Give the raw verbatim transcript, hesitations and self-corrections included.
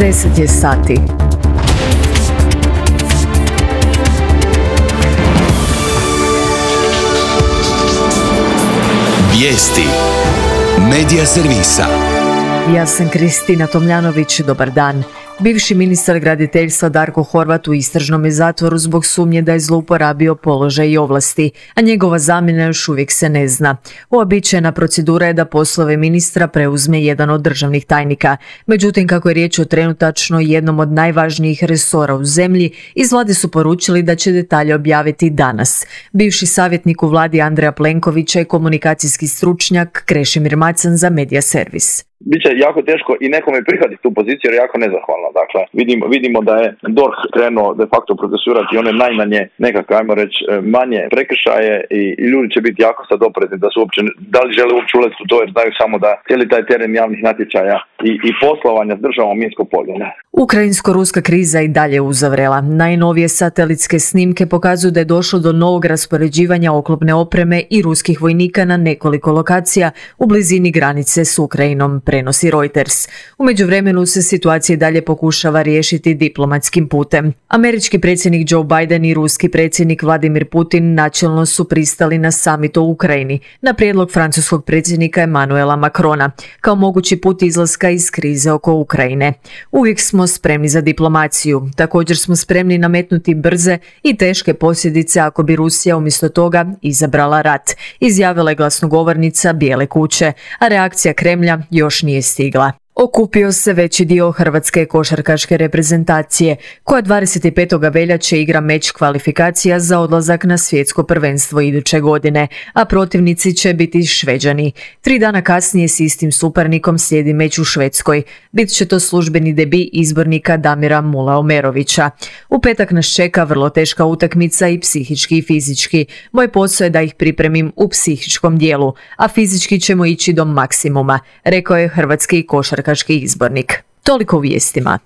deset je sati. Vijesti Medija servisa. Ja sam Kristina Tomljanović, dobar dan. Bivši ministar graditeljstva Darko Horvat u istražnom je zatvoru zbog sumnje da je zlouporabio položaj i ovlasti, a njegova zamjena još uvijek se ne zna. Uobičajena procedura je da poslove ministra preuzme jedan od državnih tajnika. Međutim, kako je riječ o trenutačno jednom od najvažnijih resora u zemlji, iz vlade su poručili da će detalje objaviti danas. Bivši savjetnik u vladi Andreja Plenkovića je komunikacijski stručnjak Krešimir Macan za Medija servis. Biće jako teško i nekome prihvatiti tu poziciju jer je jako nezahvalno. Dakle, vidimo, vidimo da je D O R H krenuo de facto procesuirati one najmanje nekakve, ajmo reći, manje prekršaje i, i ljudi će biti jako sad oprezni da su uopće, da li žele uopće ulaziti u to jer znaju samo da cijeli taj teren javnih natječaja i, i poslovanja s državom minsko polje. Ne? Ukrajinsko-ruska kriza i dalje uzavrela. Najnovije satelitske snimke pokazuju da je došlo do novog raspoređivanja oklopne opreme i ruskih vojnika na nekoliko lokacija u blizini granice s Ukrajinom, prenosi Reuters. U međuvremenu se situacija dalje pokušava riješiti diplomatskim putem. Američki predsjednik Joe Biden i ruski predsjednik Vladimir Putin načelno su pristali na samit o Ukrajini na prijedlog francuskog predsjednika Emmanuela Macrona kao mogući put izlaska iz krize oko Ukrajine. Uvijek smo spremni za diplomaciju. Također smo spremni nametnuti brze i teške posljedice ako bi Rusija umjesto toga izabrala rat, izjavila je glasnogovornica Bijele kuće, a reakcija Kremlja još nije stigla. Okupio se veći dio hrvatske košarkaške reprezentacije, koja dvadeset petog veljače igra meč kvalifikacija za odlazak na svjetsko prvenstvo iduće godine, a protivnici će biti Šveđani. Tri dana kasnije s istim suparnikom slijedi meč u Švedskoj. Bit će to službeni debi izbornika Damira Mulaomerovića. U petak nas čeka vrlo teška utakmica i psihički i fizički. Moj posao je da ih pripremim u psihičkom dijelu, a fizički ćemo ići do maksimuma, rekao je hrvatski košarkaški izbornik. Toliko u vijestima.